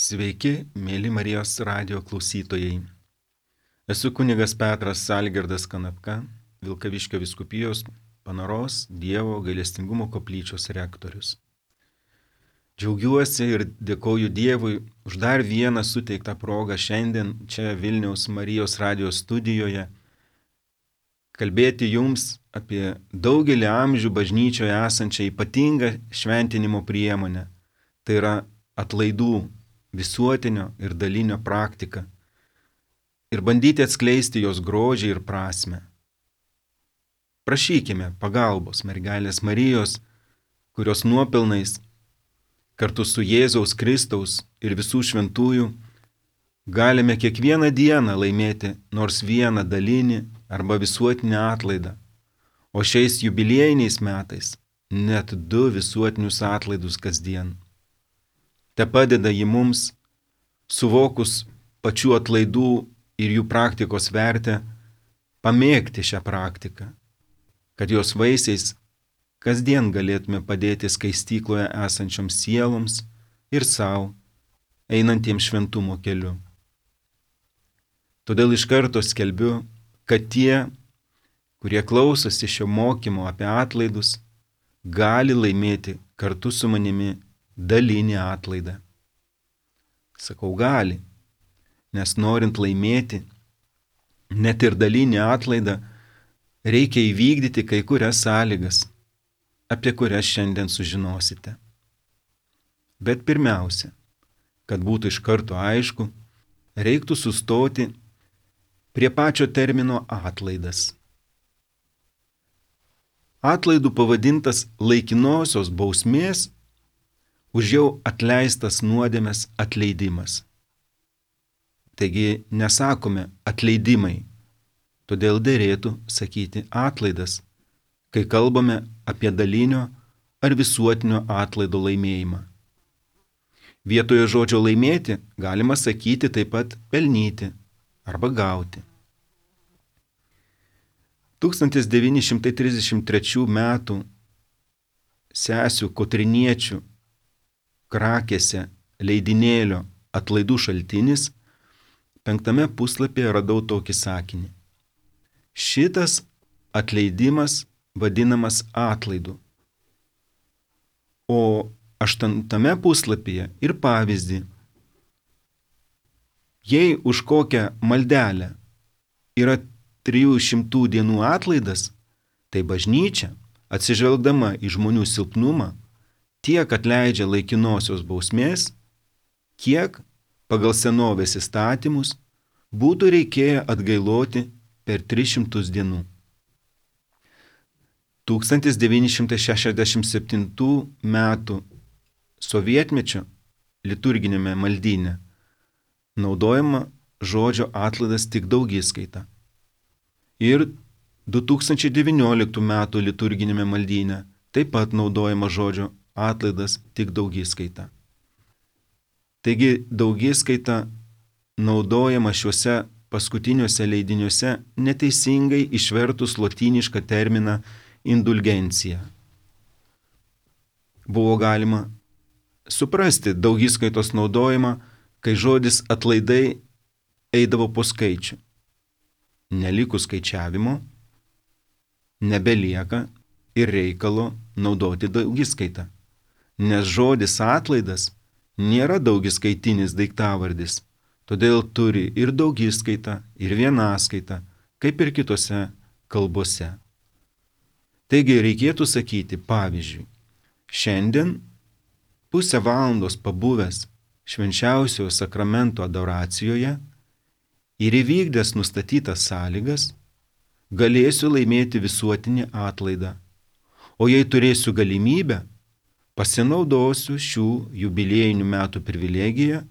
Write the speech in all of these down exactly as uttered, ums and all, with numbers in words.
Sveiki, mėly Marijos radijo klausytojai. Esu kunigas Petras Algirdas Kanapka, Vilkaviškio vyskupijos Panaros Dievo gailestingumo koplyčios rektorius. Džiaugiuosi ir dėkoju Dievui už dar vieną suteiktą progą šiandien čia Vilniaus Marijos radijo studijoje kalbėti jums apie daugelį amžių bažnyčioje esančią ypatingą šventinimo priemonę. Tai yra atlaidų visuotinio ir dalinio praktika ir bandyti atskleisti jos grožį ir prasmę. Prašykime pagalbos mergelės Marijos, kurios nuopelnais kartu su Jėzaus Kristaus ir visų šventųjų galime kiekvieną dieną laimėti nors vieną dalinį arba visuotinį atlaidą, o šiais jubiliejiniais metais net du visuotinius atlaidus kasdien. Te padeda ji mums, suvokus pačių atlaidų ir jų praktikos vertę, pamėgti šią praktiką, kad jos vaisiais kasdien galėtume padėti skaistykloje esančioms sieloms ir savo, einantiems šventumo keliu. Todėl iš karto skelbiu, kad tie, kurie klausosi šio mokymo apie atlaidus, gali laimėti kartu su manimi dalinį atlaidą. Sakau gali, nes norint laimėti, net ir dalinį atlaidą, reikia įvykdyti kai kurias sąlygas, apie kurias šiandien sužinosite. Bet pirmiausia, kad būtų iš karto aišku, reiktų sustoti prie pačio termino atlaidas. Atlaidų pavadintas laikinosios bausmės už jau atleistas nuodėmes atleidimas. Taigi nesakome atleidimai, todėl derėtų sakyti atlaidas, kai kalbame apie dalinio ar visuotinio atlaido laimėjimą. Vietoje žodžio laimėti galima sakyti taip pat pelnyti arba gauti. tūkstantis devyni šimtai trisdešimt trečių metų sesių Kotriniečių Krakėse leidinėlio atlaidų šaltinis penktame puslapyje radau tokį sakinį. Šitas atleidimas vadinamas atlaidu. O aštuntame puslapyje ir pavyzdį. Jei už kokią maldelę yra trijų šimtų dienų atlaidas, tai bažnyčia, atsižvelgdama į žmonių silpnumą, tiek atleidžia laikinosios bausmės, kiek pagal senovės įstatymus būtų reikėję atgailoti per tris šimtus dienų. tūkstantis devyni šimtai šešiasdešimt septintų metų sovietmečio liturginėme maldyne naudojama žodžio atlaidas tik daugiskaita. Ir du tūkstančiai devynioliktų metų liturginėme maldyne taip pat naudojama žodžio atlaidas tik daugiskaita. Taigi daugiskaita naudojama šiuose paskutiniuose leidiniuose neteisingai išvertus lotynišką terminą indulgencija. Buvo galima suprasti daugiskaitos naudojimą, kai žodis atlaidai eidavo po skaičių. Nelikus skaičiavimo, nebelieka ir reikalo naudoti daugiskaitą, nes žodis atlaidas nėra daugiskaitinis daiktavardis, todėl turi ir daugiskaitą, ir vienaskaitą, kaip ir kitose kalbose. Taigi reikėtų sakyti, pavyzdžiui, šiandien pusę valandos pabuvęs švenčiausiojo sakramento adoracijoje ir įvykdęs nustatytas sąlygas, galėsiu laimėti visuotinį atlaidą, o jei turėsiu galimybę, pasinaudosiu šių jubiliejinių metų privilegiją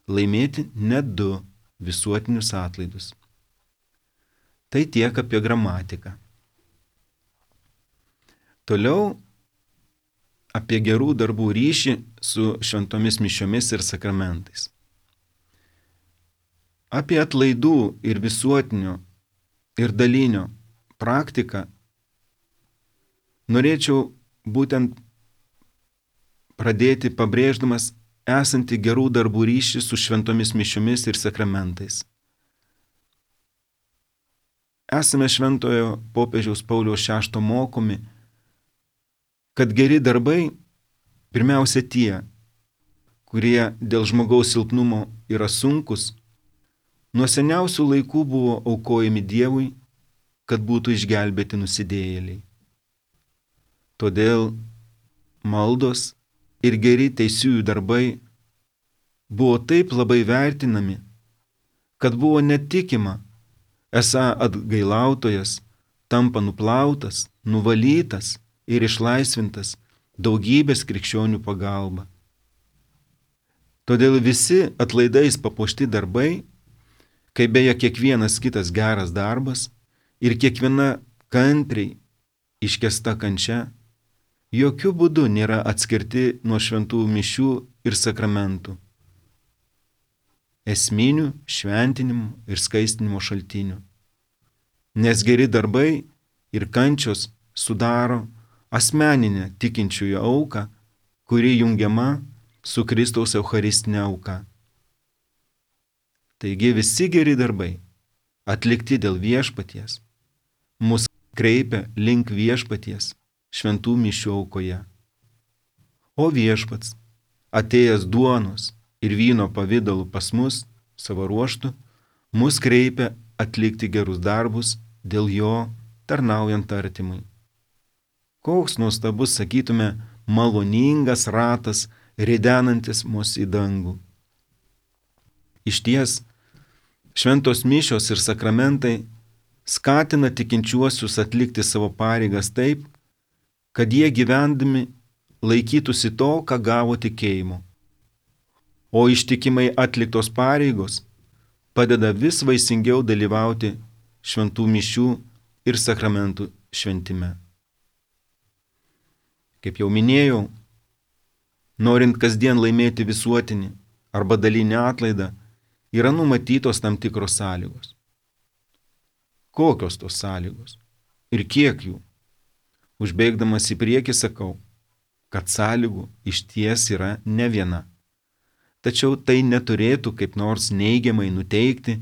laimėti net du visuotinius atlaidus. Tai tiek apie gramatiką. Toliau apie gerų darbų ryšį su šventomis mišiomis ir sakramentais. Apie atlaidų ir visuotinio ir dalinio praktiką norėčiau būtent pradėti pabrėždamas esanti gerų darbų ryšį su šventomis mišiomis ir sakramentais. Esame šventojo popiežiaus Pauliaus šešto mokomi, kad geri darbai pirmiausia tie, kurie dėl žmogaus silpnumo yra sunkus, nuo seniausių laikų buvo aukojami Dievui, kad būtų išgelbėti nusidėjėliai. Todėl maldos ir geri teisiųjų darbai buvo taip labai vertinami, kad buvo netikima, esą atgailautojas tampa nuplautas, nuvalytas ir išlaisvintas daugybės krikščionių pagalba. Todėl visi atlaidais papuošti darbai, kaip beje kiekvienas kitas geras darbas ir kiekviena kantriai iškęsta kančia, jokių būdų nėra atskirti nuo šventų mišių ir sakramentų, esminių šventinimų ir skaistinimo šaltinių. Nes geri darbai ir kančios sudaro asmeninę tikinčiųjų auką, kuri jungiama su Kristaus eucharistinė auka. Taigi visi geri darbai, atlikti dėl viešpaties, mus kreipia link viešpaties šventų mišių aukoje. O viešpats, atėjęs duonos ir vyno pavidalu pas mus, savo ruožtu, mus kreipia atlikti gerus darbus dėl jo tarnaujant artimui. Koks nuostabus, sakytume, maloningas ratas, ridenantis mus į dangų. Išties, šventos mišios ir sakramentai skatina tikinčiuosius atlikti savo pareigas taip, kad jie gyvendami laikytųsi to, ką gavo tikėjimu. O ištikimai atliktos pareigos padeda vis vaisingiau dalyvauti šventų mišių ir sakramentų šventime. Kaip jau minėjau, norint kasdien laimėti visuotinį arba dalinį atlaidą, yra numatytos tam tikros sąlygos. Kokios tos sąlygos ir kiek jų? Užbėgdamas į priekį sakau, kad sąlygų išties yra ne viena. Tačiau tai neturėtų kaip nors neigiamai nuteikti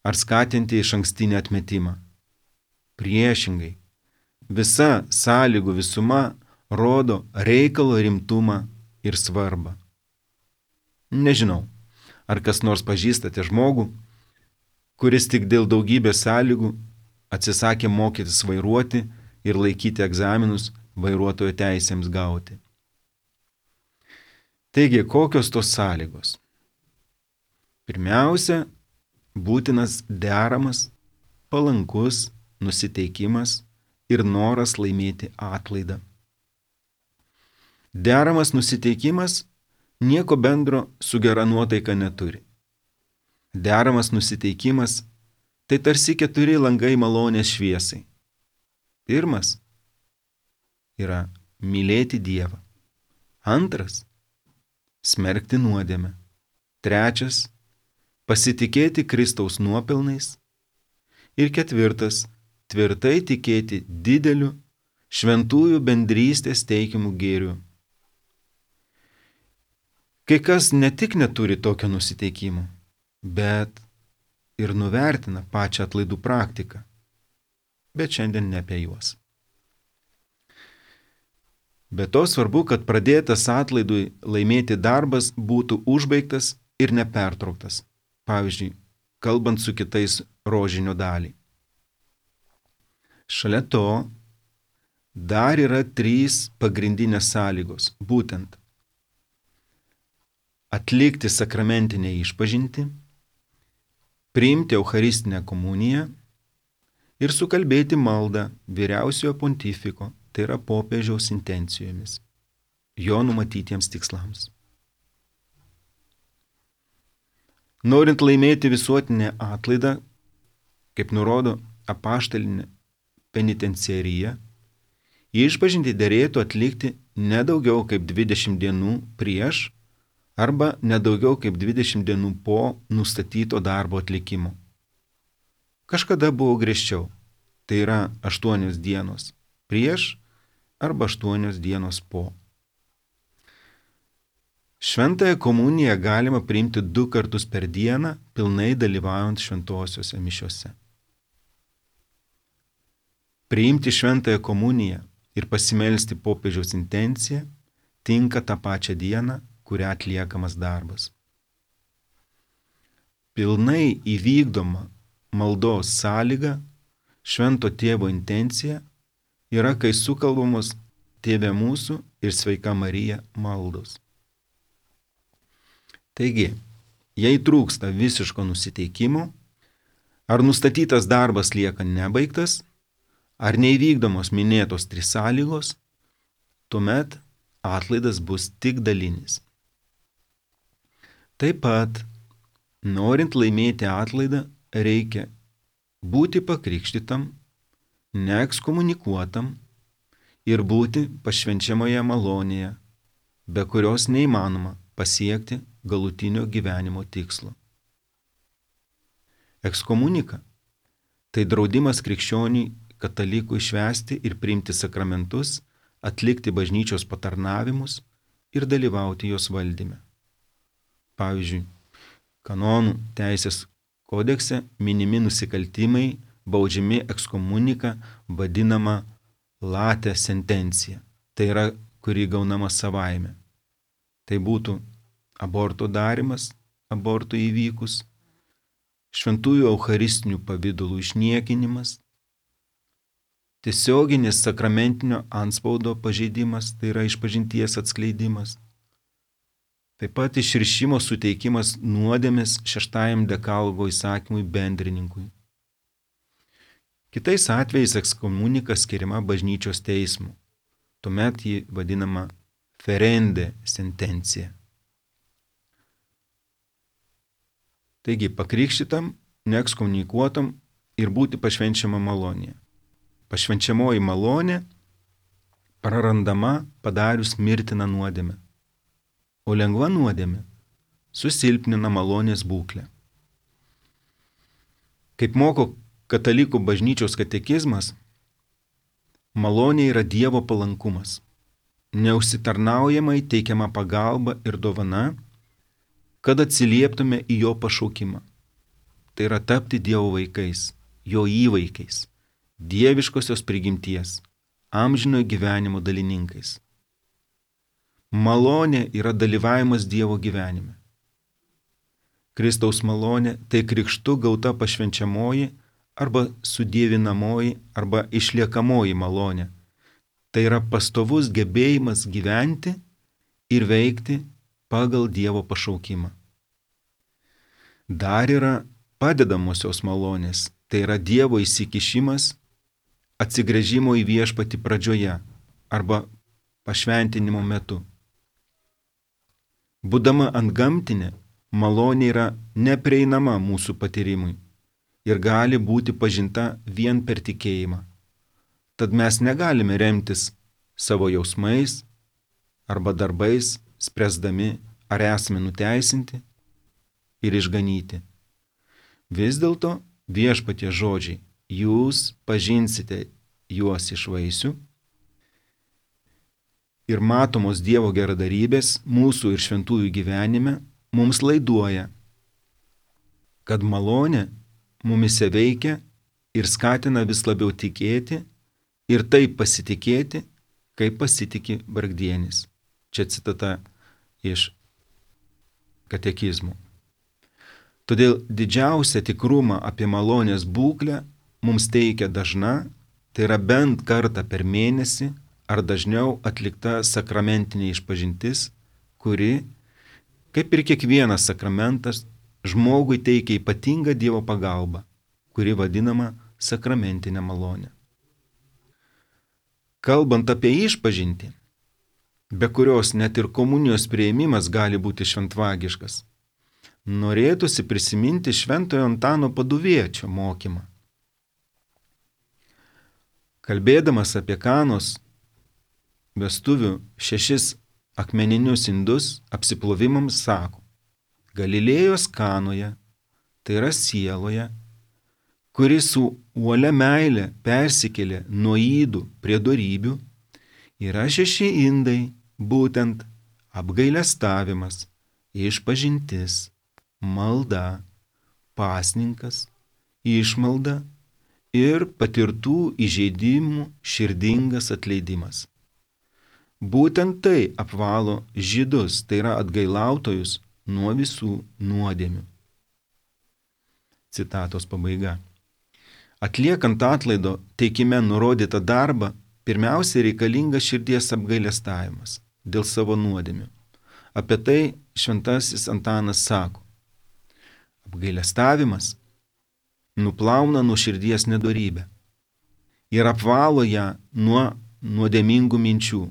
ar skatinti išankstinį atmetimą. Priešingai, visa sąlygų visuma rodo reikalo rimtumą ir svarbą. Nežinau, ar kas nors pažįstate žmogų, kuris tik dėl daugybės sąlygų atsisakė mokytis vairuoti ir laikyti egzaminus vairuotojo teisėms gauti. Taigi, kokios tos sąlygos? Pirmiausia, būtinas deramas, palankus nusiteikimas ir noras laimėti atlaidą. Deramas nusiteikimas nieko bendro su gera nuotaika neturi. Deramas nusiteikimas tai tarsi keturi langai malonės šviesai. Pirmas yra mylėti Dievą. Antras – smerkti nuodėmę. Trečias – pasitikėti Kristaus nuopelnais. Ir ketvirtas – tvirtai tikėti dideliu šventųjų bendrystės teikiamų gėrių. Kai kas ne tik neturi tokio nusiteikimo, bet ir nuvertina pačią atlaidų praktiką. Bet šiandien ne apie juos. Be to svarbu, kad pradėtas atlaidui laimėti darbas būtų užbaigtas ir nepertrauktas. Pavyzdžiui, kalbant su kitais rožinio dalį. Šalia to dar yra trys pagrindinės sąlygos, būtent atlikti sakramentinę išpažintį, priimti eucharistinę komuniją ir sukalbėti maldą vyriausiojo pontifiko, tai yra popiežiaus intencijomis, jo numatytiems tikslams. Norint laimėti visuotinę atlaidą, kaip nurodo apaštalinė penitenciarija, išpažintį derėtų atlikti ne daugiau kaip dvidešimt dienų prieš arba ne daugiau kaip dvidešimt dienų po nustatyto darbo atlikimo. Kažkada buvo griežčiau, tai yra aštuonios dienos prieš arba aštuonios dienos po. Šventąją komuniją galima priimti du kartus per dieną, pilnai dalyvaujant šventosiuose mišiuose. Priimti šventąją komuniją ir pasimelsti popiežiaus intenciją tinka tą pačią dieną, kurią atliekamas darbas. Pilnai įvykdoma maldos sąlyga švento tėvo intencija yra, kai sukalbamos Tėve mūsų ir Sveika Marija maldos. Taigi, jei trūksta visiško nusiteikimo, ar nustatytas darbas lieka nebaigtas, ar neįvykdomos minėtos trys sąlygos, tuomet atlaidas bus tik dalinis. Taip pat, norint laimėti atlaidą, reikia būti pakrikštytam, neekskomunikuotam ir būti pašvenčiamoje malonėje, be kurios neįmanoma pasiekti galutinio gyvenimo tikslo. Ekskomunika – tai draudimas krikščioniui katalikui švęsti ir priimti sakramentus, atlikti bažnyčios patarnavimus ir dalyvauti jos valdyme. Pavyzdžiui, kanonų teisės kodekse minimi nusikaltimai baudžiami ekskomunika vadinama late sentencija, tai yra, kuri gaunama savaime. Tai būtų aborto darimas, aborto įvykus, šventųjų eucharistinių pavydalų išniekinimas, tiesioginis sakramentinio antspaudo pažeidimas, tai yra išpažinties atskleidimas, taip pat išrišimo suteikimas nuodėmės šeštajam dekalogo įsakymui bendrininkui. Kitais atvejais ekskomunika skiriama bažnyčios teismu, tuomet ji vadinama ferende sentencija. Taigi pakrikštytam, neekskomunikuotam ir būti pašvenčiama malonėje. Pašvenčiamoji malonė prarandama padarius mirtiną nuodėmę, o lengva nuodėmė susilpnina malonės būklę. Kaip moko katalikų bažnyčios katekizmas, malonė yra Dievo palankumas, neužsitarnaujamai teikiama pagalba ir dovana, kad atsilieptume į jo pašaukimą. Tai yra tapti Dievo vaikais, jo įvaikiais, dieviškosios prigimties, amžinojo gyvenimo dalininkais. Malonė yra dalyvavimas Dievo gyvenime. Kristaus malonė tai krikštu gauta pašvenčiamoji arba sudievinamoji arba išliekamoji malonė. Tai yra pastovus gebėjimas gyventi ir veikti pagal Dievo pašaukimą. Dar yra padedamosios malonės, tai yra Dievo įsikišimas atsigręžimo į viešpatį pradžioje arba pašventinimo metu. Būdama antgamtinė, malonė yra neprieinama mūsų patyrimui ir gali būti pažinta vien per tikėjimą. Tad mes negalime remtis savo jausmais arba darbais, spręsdami, ar esame nuteisinti ir išganyti. Vis dėlto viešpatie žodžiai, jūs pažinsite juos iš vaisių ir matomos Dievo geradarybės mūsų ir šventųjų gyvenime mums laiduoja, kad malonė mumise veikia ir skatina vis labiau tikėti ir taip pasitikėti, kaip pasitiki vargdienis. Čia citata iš katekizmų. Todėl didžiausią tikrumą apie malonės būklę mums teikia dažna, tai yra bent kartą per mėnesį ar dažniau atlikta sakramentinė išpažintis, kuri, kaip ir kiekvienas sakramentas, žmogui teikia ypatingą Dievo pagalbą, kuri vadinama sakramentinė malonė. Kalbant apie išpažintį, be kurios net ir komunijos priėmimas gali būti šventvagiškas, norėtųsi prisiminti šventojo Antano Paduviečio mokymą. Kalbėdamas apie Kanos vestuvių šešis akmeninius indus apsiplovimams sako, Galilėjos Kanoje, tai yra sieloje, kuri su uolia meile persikėlė nuo ydų prie dorybių, yra šeši indai, būtent apgailestavimas, išpažintis, malda, pasninkas, išmalda ir patirtų įžeidimų širdingas atleidimas. Būtent tai apvalo žydus, tai yra atgailautojus, nuo visų nuodėmių. Citatos pabaiga. Atliekant atlaido teikime nurodytą darbą, pirmiausia reikalingas širdies apgailestavimas dėl savo nuodėmių. Apie tai šventasis Antanas sako: apgailestavimas nuplauna nuo širdies nedorybę ir apvalo ją nuo nuodėmingų minčių,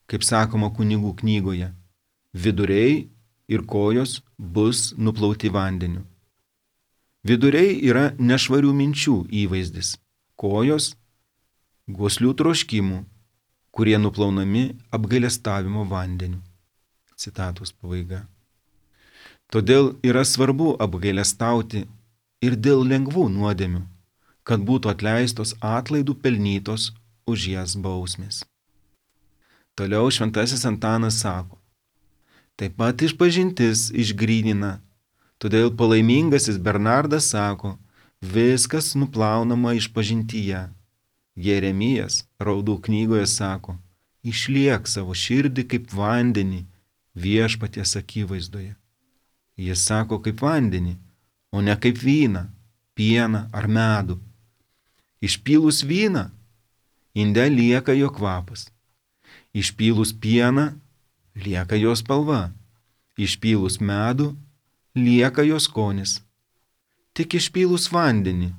kaip sakoma kunigų knygoje, viduriai ir kojos bus nuplauti vandeniu. Viduriai yra nešvarių minčių įvaizdis, kojos goslių troškimų, kurie nuplaunami apgailestavimo vandeniu. Citatos pabaiga. Todėl yra svarbu apgailestauti ir dėl lengvų nuodėmių, kad būtų atleistos atlaidų pelnytos už jas bausmės. Toliau šventasis Antanas sako: taip pat išpažintis išgrynina, todėl palaimingasis Bernardas sako: viskas nuplaunama išpažintyje. Jeremijas Raudų knygoje sako: išliek savo širdį kaip vandenį viešpaties akivaizdoje. Jis sako kaip vandenį, o ne kaip vyną, pieną ar medų. Išpylus vyną, inde lieka jo kvapas. Išpylus pieną, lieka jo spalva. Išpylus medų, lieka jo skonis. Tik išpylus vandenį,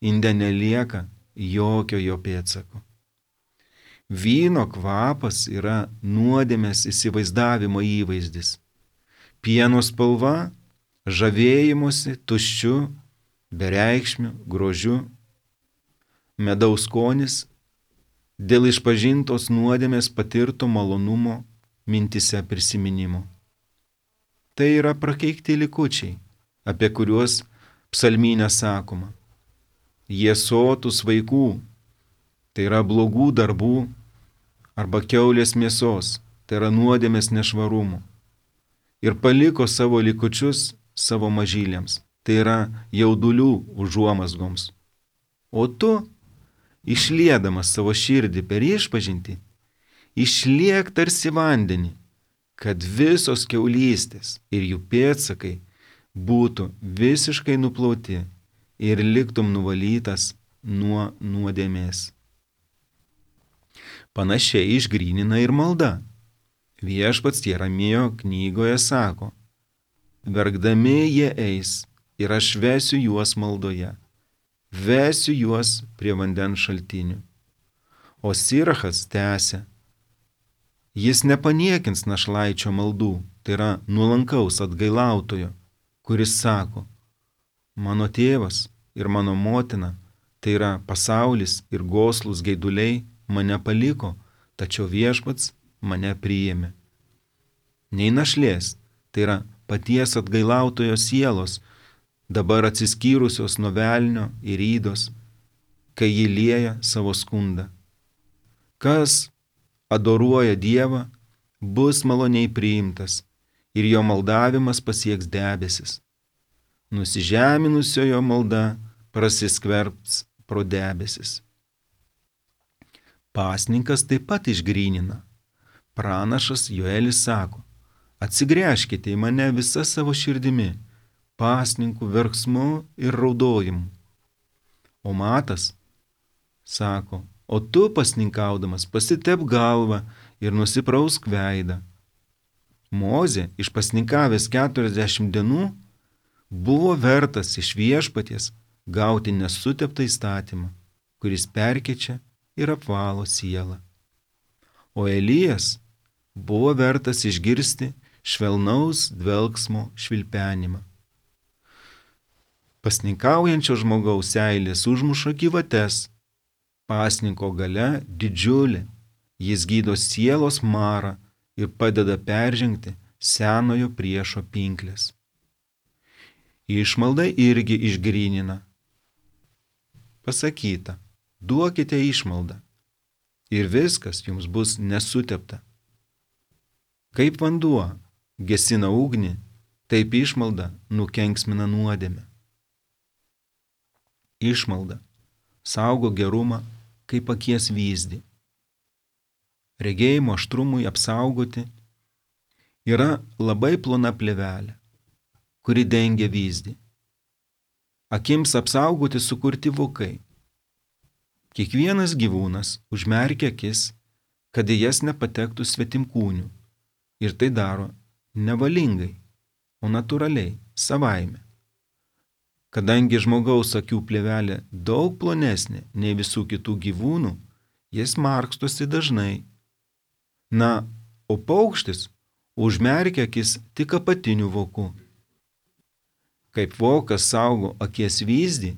inde nelieka jokio jo pėdsako. Vyno kvapas yra nuodėmės įsivaizdavimo įvaizdis. Pieno spalva žavėjimosi tuščiu, bereikšmiu, grožiu. Medaus skonis dėl išpažintos nuodėmės patirto malonumo mintise prisiminimo. Tai yra prakeikti likučiai, apie kuriuos psalmyne sakoma: jie sotus vaikų, tai yra blogų darbų, arba kiaulės mėsos, tai yra nuodėmės nešvarumų, ir paliko savo likučius savo mažylėms, tai yra jaudulių užuomazgoms. O tu, išliedamas savo širdį per išpažintį, išliek tarsi vandenį, kad visos kiaulystės ir jų pėdsakai būtų visiškai nuplauti ir liktum nuvalytas nuo nuodėmės. Panašiai išgrynina ir malda. Viešpats Jeremijo knygoje sako: verkdami jie eis ir aš vesiu juos maldoje, vesiu juos prie vandens šaltinių. O Sirachas tęsia: jis nepaniekins našlaičio maldų, tai yra nuolankaus atgailautojo, kuris sako: mano tėvas ir mano motina, tai yra pasaulis ir goslus geiduliai, mane paliko, tačiau viešpats mane priėmė. Nei našlės, tai yra paties atgailautojo sielos, dabar atsiskyrusios nuo velnio ir ydos, kai jį lieja savo skundą. Kas adoruoja Dievą, bus maloniai priimtas ir jo maldavimas pasieks debesis. Nusižeminusiojo malda prasiskverbs pro debesis. Pasninkas taip pat išgrynina. Pranašas Joelis sako: atsigręžkite į mane visa savo širdimi, pasninkų verksmu ir raudojimu. O Matas sako: o tu pasninkaudamas pasitep galvą ir nusiprausk veidą. Mozė, išpasninkavęs keturiasdešimt dienų, buvo vertas iš viešpaties gauti nesuteptą įstatymą, kuris perkeičia ir apvalo sielą. O Elijas buvo vertas išgirsti švelnaus dvelksmo švilpenimą. Pasninkaujančio žmogaus seilės užmuša gyvates, pasninko galia didžiulė, jis gydo sielos marą ir padeda peržengti senojo priešo pinklės. Išmalda irgi išgrynina. Pasakyta: duokite išmaldą ir viskas jums bus nesutepta. Kaip vanduo gesina ugnį, taip išmalda nukenksmina nuodėmę. Išmalda saugo gerumą kaip akies vyzdį. Regėjimo aštrumui apsaugoti yra labai plona plėvelė, kuri dengia vyzdį. Akims apsaugoti sukurti vokai. Kiekvienas gyvūnas užmerkia akis, kad į jas nepatektų svetimkūnių, ir tai daro nevalingai, o natūraliai, savaime. Kadangi žmogaus akių plėvelė daug plonesnė nei visų kitų gyvūnų, jis markstosi dažnai. Na, o paukštis užmerkia akis tik apatiniu voku. Kaip vokas saugo akies vyzdį,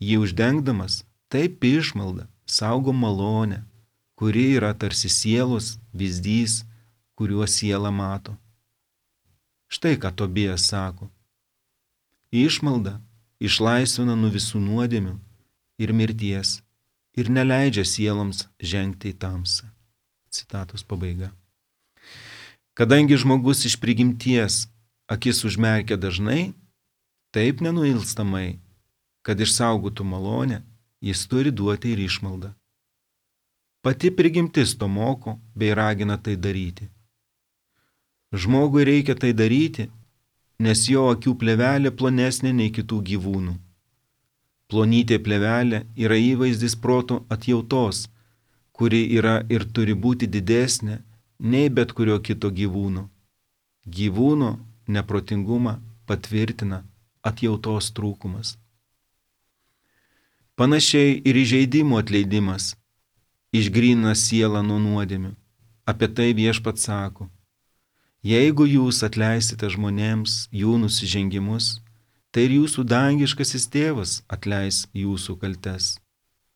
jį uždengdamas, taip išmalda saugo malonę, kuri yra tarsi sielos vyzdys, kuriuo siela mato. Štai ką Tobijas sako. Išmalda išlaisvina nuo visų nuodėmių ir mirties ir neleidžia sieloms žengti į tamsą. Citatos pabaiga. Kadangi žmogus iš prigimties akis užmerkia dažnai, taip nenuilstamai, kad išsaugotų malonę, jis turi duoti ir išmaldą. Pati prigimtis to moko bei ragina tai daryti. Žmogui reikia tai daryti, nes jo akių plėvelė plonesnė nei kitų gyvūnų. Plonytė plėvelė yra įvaizdis proto atjautos, kuri yra ir turi būti didesnė nei bet kurio kito gyvūno. Gyvūno neprotingumą patvirtina atjautos trūkumas. Panašiai ir įžeidimų atleidimas išgrynina sielą nuo nuodėmių. Apie tai Viešpats sako: jeigu jūs atleisite žmonėms jų nusižengimus, tai ir jūsų dangiškasis tėvas atleis jūsų kaltes.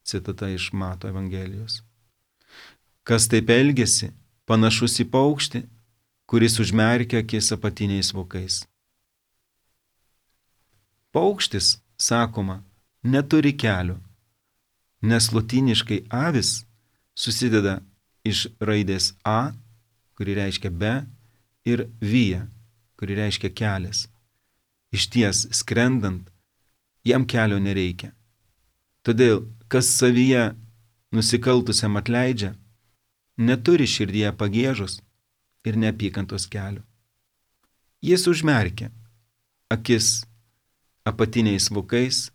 Citata iš Mato Evangelijos. Kas taip elgiasi, panašus į paukštį, kuris užmerkia akis apatiniais vokais. Paukštis, sakoma, neturi kelio, nes lotyniškai avis susideda iš raidės a, kuri reiškia be, ir via, kuri reiškia kelias. Išties, skrendant, jam kelio nereikia. Todėl, kas savyje nusikaltusiam atleidžia, neturi širdyje pagiežos ir neapykantos kelio. Jis užmerkia akis apatiniais vokais,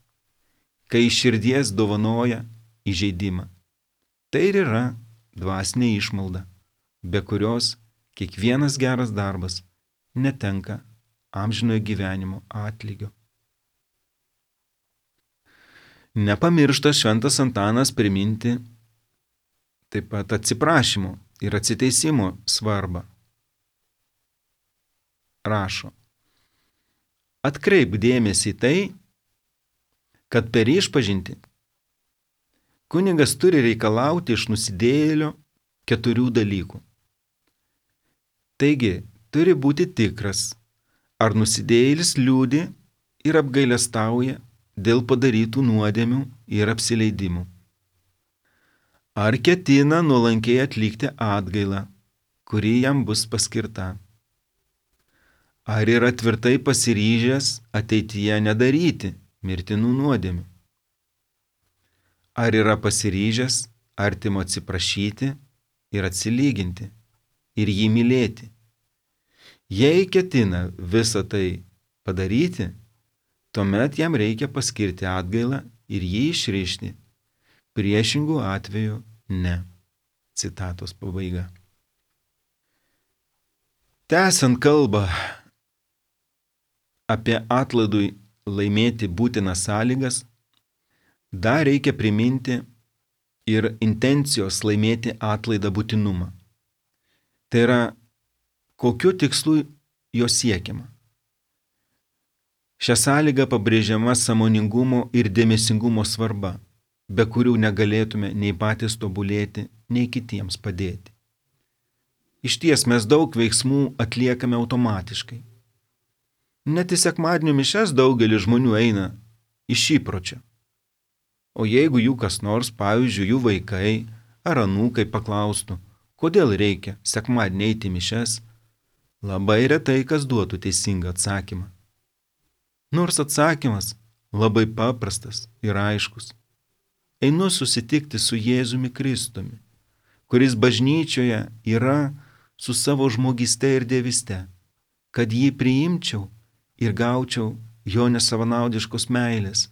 kai iš širdies dovanoja įžeidimą. Tai ir yra dvasinė išmalda, be kurios kiekvienas geras darbas netenka amžinojo gyvenimo atlygio. Nepamiršta šventas Antanas priminti taip pat atsiprašymo ir atsiteisimo svarbą. Rašo: atkreip dėmesį į tai, kad per išpažintį kunigas turi reikalauti iš nusidėjėlio keturių dalykų. Taigi, turi būti tikras, ar nusidėjėlis liūdi ir apgailestauja dėl padarytų nuodėmių ir apsileidimų. Ar ketina nuolankiai atlikti atgailą, kuri jam bus paskirta. Ar yra tvirtai pasiryžęs ateityje nedaryti mirtinų nuodėmių. Ar yra pasiryžęs artimo atsiprašyti ir atsilyginti ir jį mylėti. Jei ketina visą tai padaryti, tuomet jam reikia paskirti atgailą ir jį išrišti. Priešingų atveju ne. Citatos pabaiga. Tęsiant kalbą apie atlaidui laimėti būtinas sąlygas, dar reikia priminti ir intencijos laimėti atlaidą būtinumą. Tai yra, kokiu tikslu jo siekiama. Šią sąlygą pabrėžiama sąmoningumo ir dėmesingumo svarba, be kurių negalėtume nei patys tobulėti, nei kitiems padėti. Išties mes daug veiksmų atliekame automatiškai. Net į sekmadienio mišias daugelis žmonių eina iš įpročio. O jeigu jų kas nors, pavyzdžiui, jų vaikai ar anūkai paklaustų, kodėl reikia sekmadienį eiti į mišias, labai retai kas duotų teisingą atsakymą. Nors atsakymas labai paprastas ir aiškus. Einu susitikti su Jėzumi Kristumi, kuris bažnyčioje yra su savo žmogyste ir dievyste, kad jį priimčiau ir gaučiau jo nesavanaudiškos meilės,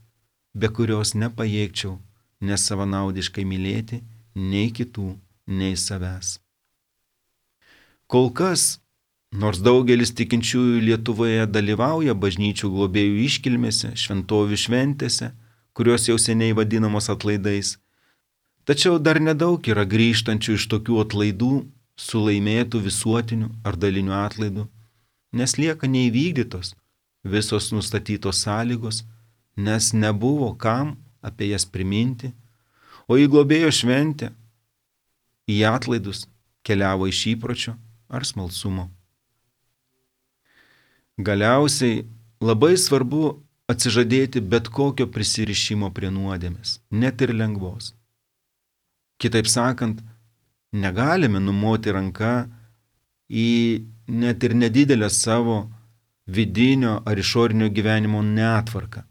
be kurios nepajėgčiau nesavanaudiškai mylėti nei kitų, nei savęs. Kol kas, nors daugelis tikinčiųjų Lietuvoje dalyvauja bažnyčių globėjų iškilmėse, šventovių šventėse, kurios jau seniai vadinamos atlaidais, tačiau dar nedaug yra grįžtančių iš tokių atlaidų su laimėtų visuotiniu ar daliniu atlaidu, nes lieka neįvykdytos visos nustatytos sąlygos, nes nebuvo kam apie jas priminti, o į globėjo šventę, į atlaidus keliavo iš įpročio ar smalsumo. Galiausiai labai svarbu atsižadėti bet kokio prisirišimo prie nuodėmės, net ir lengvos. Kitaip sakant, negalime numoti ranką į net ir nedidelę savo vidinio ar išorinio gyvenimo netvarką,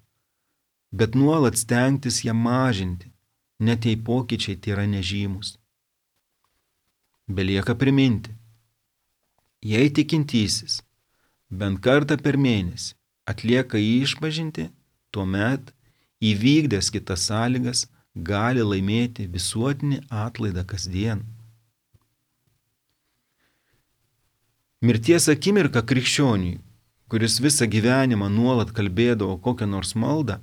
bet nuolat stengtis ją mažinti, net jei pokyčiai tai yra nežymus. Belieka priminti, jei tikintysis bent kartą per mėnesį atlieka išpažintį, tuomet įvykdęs kitas sąlygas gali laimėti visuotinį atlaidą kasdien. Mirties akimirka krikščioniui, kuris visą gyvenimą nuolat kalbėdavo kokią nors maldą,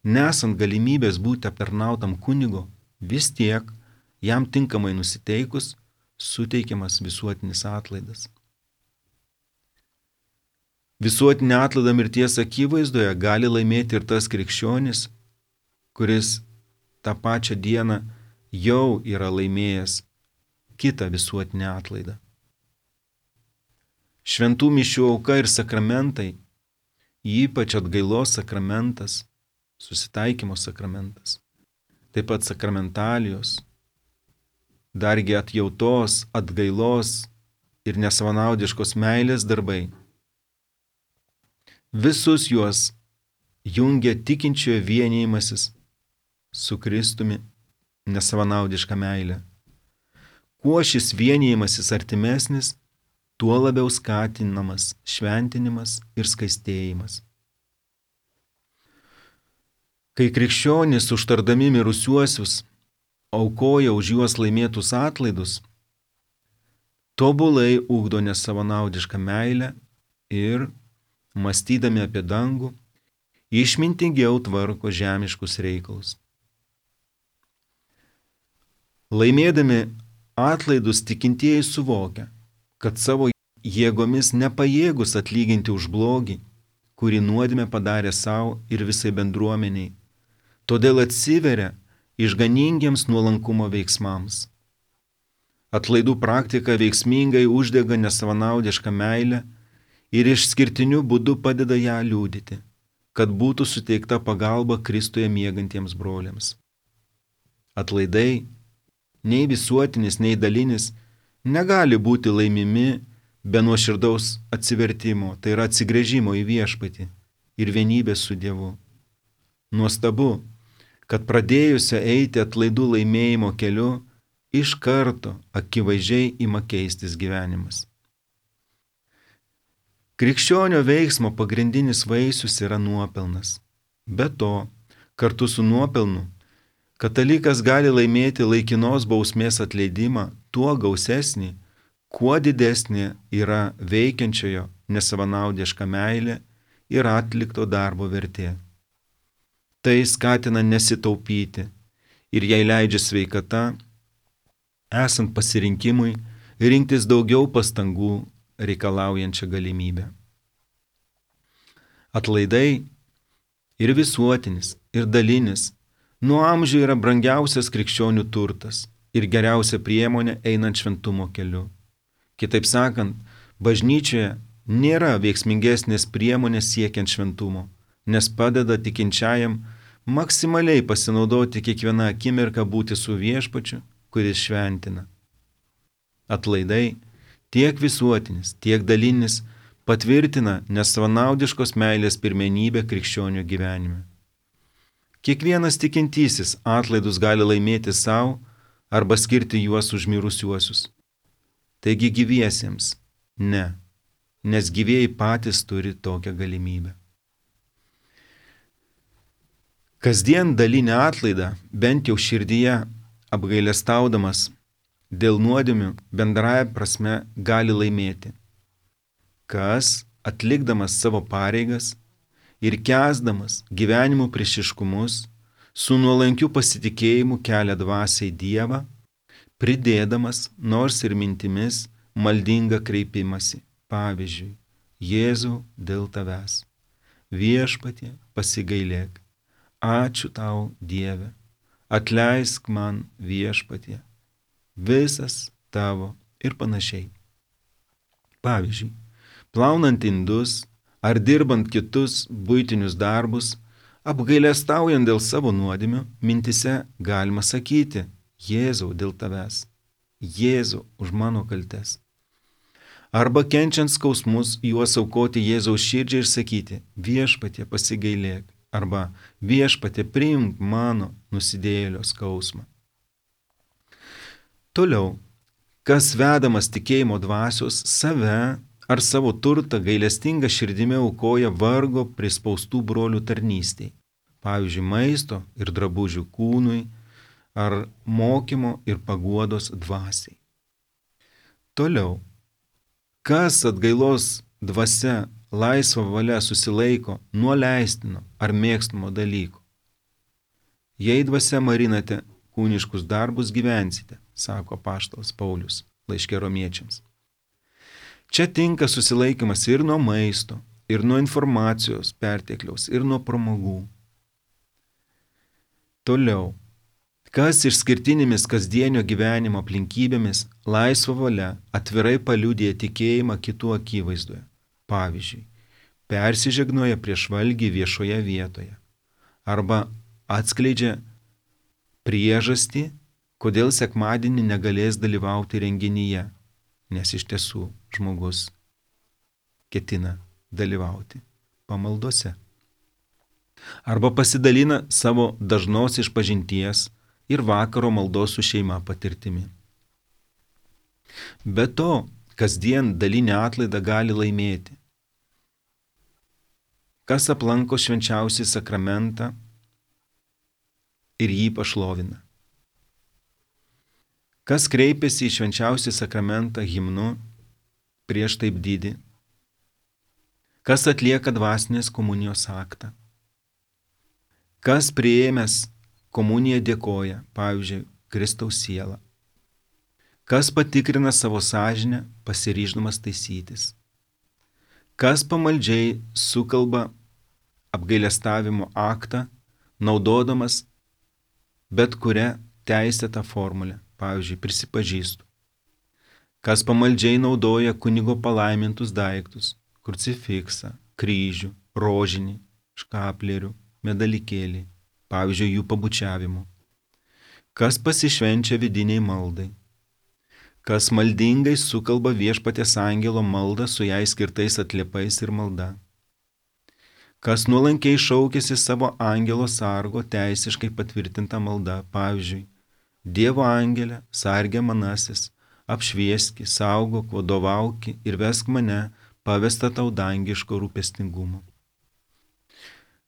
nesant galimybės būti aptarnautam kunigo, vis tiek jam tinkamai nusiteikus suteikiamas visuotinis atlaidas. Visuotinį atlaidą mirties akivaizdoje gali laimėti ir tas krikščionis, kuris tą pačią dieną jau yra laimėjęs kitą visuotinį atlaidą. Šventų mišių auka ir sakramentai, ypač atgailos sakramentas, susitaikymo sakramentas, taip pat sakramentalijos, dargi atjautos, atgailos ir nesavanaudiškos meilės darbai. Visus juos jungia tikinčiojo vienijimasis su Kristumi nesavanaudiška meilė. Kuo šis vienijimasis artimesnis, tuo labiau skatinamas šventinimas ir skaistėjimas. Kai krikščionys užtardami mirusiuosius aukoja už juos laimėtus atlaidus, tobulai ugdo nesavanaudišką meilę ir, mąstydami apie dangų, išmintingiau tvarko žemiškus reikalus. Laimėdami atlaidus tikintieji suvokia, kad savo jėgomis nepajėgus atlyginti už blogį, kurį nuodėmė padarė savo ir visai bendruomeniai, todėl atsiveria išganingiems nuolankumo veiksmams. Atlaidų praktika veiksmingai uždega nesavanaudišką meilę ir išskirtiniu būdu padeda ją liudyti, kad būtų suteikta pagalba Kristuje miegantiems broliams. Atlaidai, nei visuotinis, nei dalinis, negali būti laimimi be nuoširdaus atsivertimo, tai yra atsigręžimo į viešpatį ir vienybės su Dievu. Nuostabu, kad pradėjusio eiti atlaidų laimėjimo keliu, iš karto akivaizdžiai ima keistis gyvenimas. Krikščionio veiksmo pagrindinis vaisius yra nuopelnas. Be to, kartu su nuopelnu, katalikas gali laimėti laikinos bausmės atleidimą tuo gausesnį, kuo didesnė yra veikiančiojo nesavanaudiška meilė ir atlikto darbo vertė. Tai skatina nesitaupyti ir jai leidžia sveikata, esant pasirinkimui, rinktis daugiau pastangų reikalaujančią galimybę. Atlaidai ir visuotinis, ir dalinis nuo amžių yra brangiausias krikščionių turtas ir geriausia priemonė einant šventumo keliu. Kitaip sakant, bažnyčioje nėra veiksmingesnės priemonės siekiant šventumo, nes padeda tikinčiajam maksimaliai pasinaudoti kiekvieną akimirką būti su viešpačiu, kuris šventina. Atlaidai tiek visuotinis, tiek dalinis, patvirtina nesavanaudiškos meilės pirmenybę krikščionių gyvenime. Kiekvienas tikintysis atlaidus gali laimėti savo arba skirti juos už mirusiuosius. Taigi gyviesiems ne, nes gyvieji patys turi tokią galimybę. Kasdien dalinį atlaidą, bent jau širdyje apgailestaudamas, dėl nuodėmių bendraja prasme gali laimėti, kas, atlikdamas savo pareigas ir kęsdamas gyvenimo priešiškumus, su nuolankiu pasitikėjimu kelia dvasiai Dievą, pridėdamas nors ir mintimis maldingą kreipimąsi. Pavyzdžiui, Jėzau dėl tavęs, Viešpatie pasigailėk, ačiū tau Dieve, atleisk man Viešpatie, visas tavo ir panašiai. Pavyzdžiui, plaunant indus ar dirbant kitus buitinius darbus, apgailestaujant dėl savo nuodėmių, mintise galima sakyti, Jėzau dėl tavęs, Jėzau už mano kaltes. Arba kenčiant skausmus, juos aukoti Jėzaus širdžiai ir sakyti, Viešpatie pasigailėk, arba Viešpatie priimk mano nusidėjėlio skausmą. Toliau, kas vedamas tikėjimo dvasios save ar savo turtą gailestinga širdimi aukoja vargo prispaustų brolių tarnystei, pavyzdžiui, maisto ir drabužių kūnui, ar mokymo ir paguodos dvasiai. Toliau, kas atgailos dvasia laisva valia susilaiko nuo leistino ar mėgstamo dalyko. Jei dvasia marinate kūniškus darbus, gyvensite, sako apaštalas Paulius laiške Romiečiams. Čia tinka susilaikymas ir nuo maisto, ir nuo informacijos pertekliaus, ir nuo pramogų. Toliau, kas išskirtinėmis kasdienio gyvenimo aplinkybėmis laisva valia atvirai paliudija tikėjimą kitų akivaizdoje. Pavyzdžiui, persižegnoja prieš valgį viešoje vietoje arba atskleidžia priežastį, kodėl sekmadienį negalės dalyvauti renginyje, nes iš tiesų žmogus ketina dalyvauti pamaldose. Arba pasidalina savo dažnos išpažinties ir vakaro maldos su šeima patirtimi. Be to, kasdien dalinį atlaidą gali laimėti. Kas aplanko švenčiausią sakramentą ir jį pašlovina. Kas kreipiasi į švenčiausią sakramentą himnu prieš taip didį. Kas atlieka dvasinės komunijos aktą. Kas priėmęs komuniją dėkoja, pavyzdžiui, Kristaus sielą. Kas patikrina savo sąžinę, pasiryždamas taisytis. Kas pamaldžiai sukalba apgailestavimo aktą, naudodamas bet kurią teisėtą formulę, pavyzdžiui, prisipažįstu. Kas pamaldžiai naudoja kunigo palaimintus daiktus, krucifiksą, kryžių, rožinį, škaplerių, medalikėlį, pavyzdžiui, jų pabučiavimu. Kas pasišvenčia vidiniai maldai. Kas maldingai sukalba viešpaties angelo maldą su jai skirtais atliepais ir malda. Kas nuolankiai šaukėsi savo angelo sargo teisiškai patvirtinta malda, pavyzdžiui, Dievo angelė, sargė manasis, apšvieski, saugok, vadovauki ir vesk mane, pavesta tau dangiško rūpestingumo.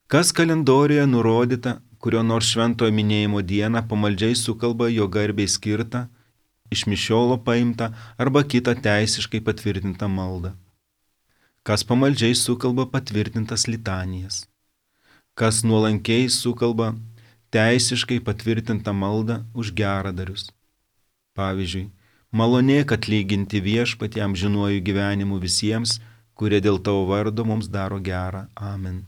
Kas kalendoriuje nurodyta, kurio nors šventojo minėjimo dieną pamaldžiai sukalba jo garbei skirtą, iš mišiolo paimtą arba kitą teisiškai patvirtintą maldą. Kas pamaldžiai sukalba patvirtintas litanijas. Kas nuolankiai sukalba teisiškai patvirtintą maldą už geradarius. Pavyzdžiui, malonėk atlyginti viešpatį amžinuoju gyvenimu visiems, kurie dėl tavo vardo mums daro gerą. Amen.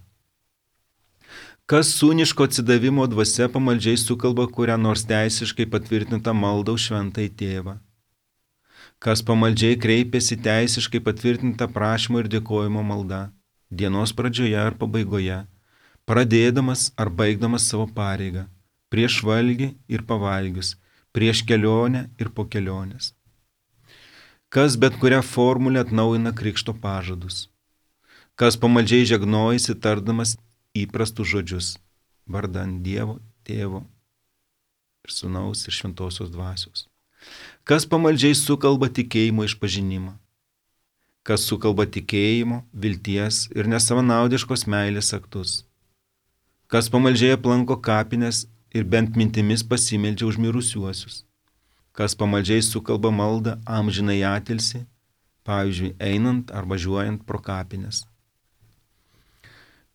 Kas sūniško atsidavimo dvasia pamaldžiai sukalba kurią nors teisiškai patvirtintą maldą už šventąjį tėvą. Kas pamaldžiai kreipiasi teisiškai patvirtintą prašymo ir dėkojimo maldą, dienos pradžioje ar pabaigoje, pradėdamas ar baigdamas savo pareigą, prieš valgį ir pavalgius, prieš kelionę ir po kelionės. kas bet kurią formulę atnaujina krikšto pažadus, kas pamaldžiai žegnojasi tardamas įprastus žodžius, vardan Dievo, Tėvo ir Sūnaus ir Šventosios Dvasios, kas pamaldžiai sukalba tikėjimo išpažinimą, kas sukalba tikėjimo, vilties ir nesavanaudiškos meilės aktus, kas pamaldžiai aplanko kapines ir bent mintimis pasimeldžia už mirusiuosius, kas pamaldžiai sukalba maldą amžinai atilsį, pavyzdžiui, einant ar važiuojant pro kapines.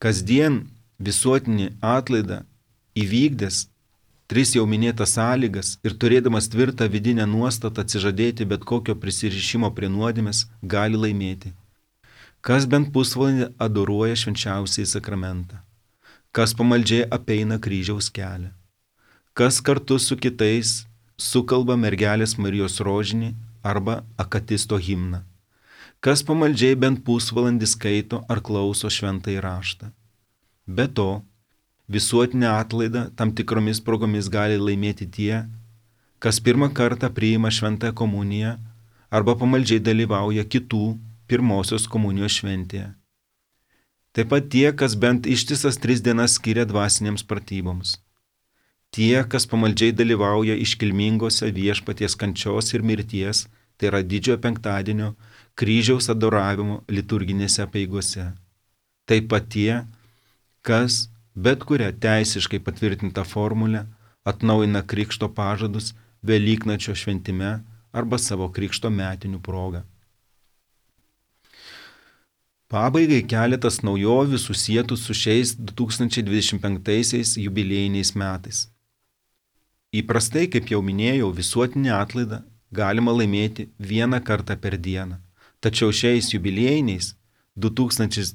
Kasdien visuotinį atlaidą įvykdęs tris jau minėtas sąlygas ir turėdamas tvirtą vidinę nuostatą atsižadėti bet kokio prisirišimo prie nuodėmės, gali laimėti. Kas bent pusvalandį adoruoja švenčiausiąjį sakramentą, kas pamaldžiai apeina kryžiaus kelią, kas kartu su kitais sukalba mergelės Marijos rožinį arba akatisto himną, kas pamaldžiai bent pusvalandį skaito ar klauso šventąjį raštą. Be to, visuotinę atlaidą tam tikromis progomis gali laimėti tie, kas pirmą kartą priima šventąją komuniją arba pamaldžiai dalyvauja kitų pirmosios komunijos šventėje. Taip pat tie, kas bent ištisas tris dienas skiria dvasinėms pratyboms. Tie, kas pamaldžiai dalyvauja iškilmingose viešpaties kančios ir mirties, tai yra didžiojo penktadienio kryžiaus adoravimo liturginėse apeigose. Taip pat tie, kas bet kurią teisiškai patvirtintą formulę atnaujina krikšto pažadus Velyknakčio šventime arba savo krikšto metinių proga. Pabaigai keletas naujovių susietų su šiais du tūkstančiai dvidešimt penktaisiais jubiliejiniais metais. Įprastai, kaip jau minėjau, visuotinį atlaidą galima laimėti vieną kartą per dieną, tačiau šiais jubiliejiniais du tūkstančiai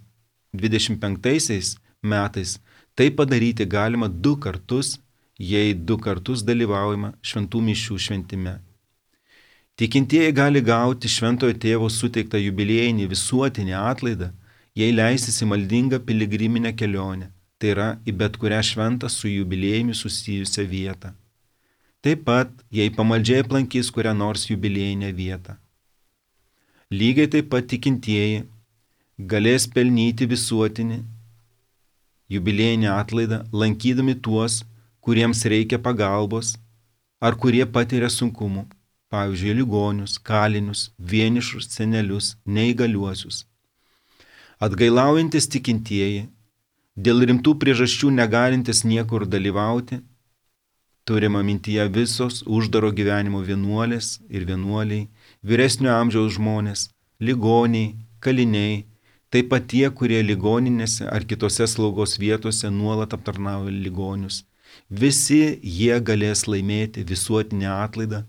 dvidešimt penktaisiais metais tai padaryti galima du kartus, jei du kartus dalyvaujama šventų mišių šventime. Tikintieji gali gauti Šventojo Tėvo suteiktą jubiliejinį visuotinį atlaidą, jei leisis į maldingą piligriminę kelionę, tai yra į bet kurią šventą su jubiliejumi susijusią vietą. Taip pat, jei pamaldžiai aplankys kurią nors jubiliejinę vietą. Lygiai taip pat tikintieji galės pelnyti visuotinį jubiliejinį atlaidą, lankydami tuos, kuriems reikia pagalbos ar kurie patiria sunkumų, pavyzdžiui, ligonius, kalinius, vienišus senelius, neįgaliuosius. Atgailaujantis tikintieji, dėl rimtų priežasčių negalintis niekur dalyvauti, turima mintyje visos uždaro gyvenimo vienuolės ir vienuoliai, vyresnio amžiaus žmonės, ligoniai, kaliniai, taip pat tie, kurie ligoninėse ar kitose slaugos vietose nuolat aptarnauja ligonius. Visi jie galės laimėti visuotinę atlaidą,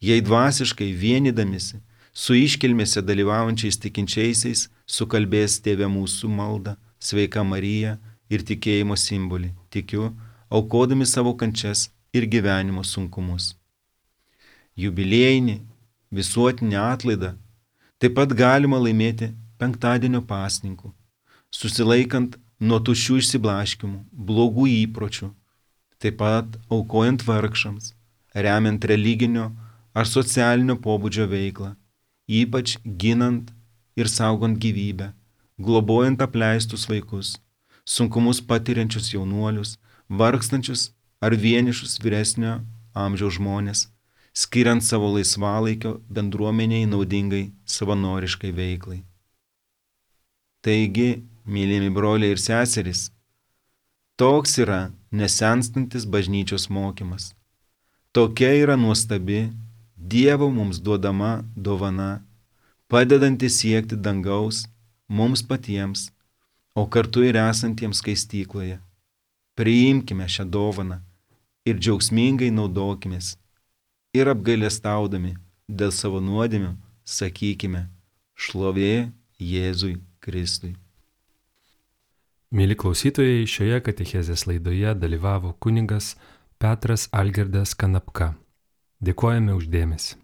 jei dvasiškai vienydamisi su iškilmėse dalyvaujančiais tikinčiaisiais sukalbės Tėve mūsų maldą, Sveika Marija ir tikėjimo simbolį, tikiu, aukodami savo kančias ir gyvenimo sunkumus. Jubiliejinį visuotinį atlaidą taip pat galima laimėti penktadienio pasninkų, susilaikant nuo tuščių išsiblaškimų, blogų įpročių, taip pat aukojant vargšams, remiant religinio ar socialinio pobūdžio veiklą, ypač ginant ir saugant gyvybę, globojant apleistus vaikus, sunkumus patiriančius jaunuolius, vargstančius ar vienišus vyresnio amžiaus žmonės, skiriant savo laisvalaikio bendruomeniai naudingai savanoriškai veiklai. Taigi, mylimi broliai ir seserys, toks yra nesenstantis bažnyčios mokymas. Tokia yra nuostabi Dievo mums duodama dovana, padedanti siekti dangaus mums patiems, o kartu ir esantiems skaistykloje. Priimkime šią dovaną ir džiaugsmingai naudokimės ir apgailestaudami dėl savo nuodėmių sakykime šlovė Jėzui Kristui. Mėly klausytojai, šioje katechezės laidoje dalyvavo kunigas Petras Algirdas Kanapka. Dėkojame už dėmesį.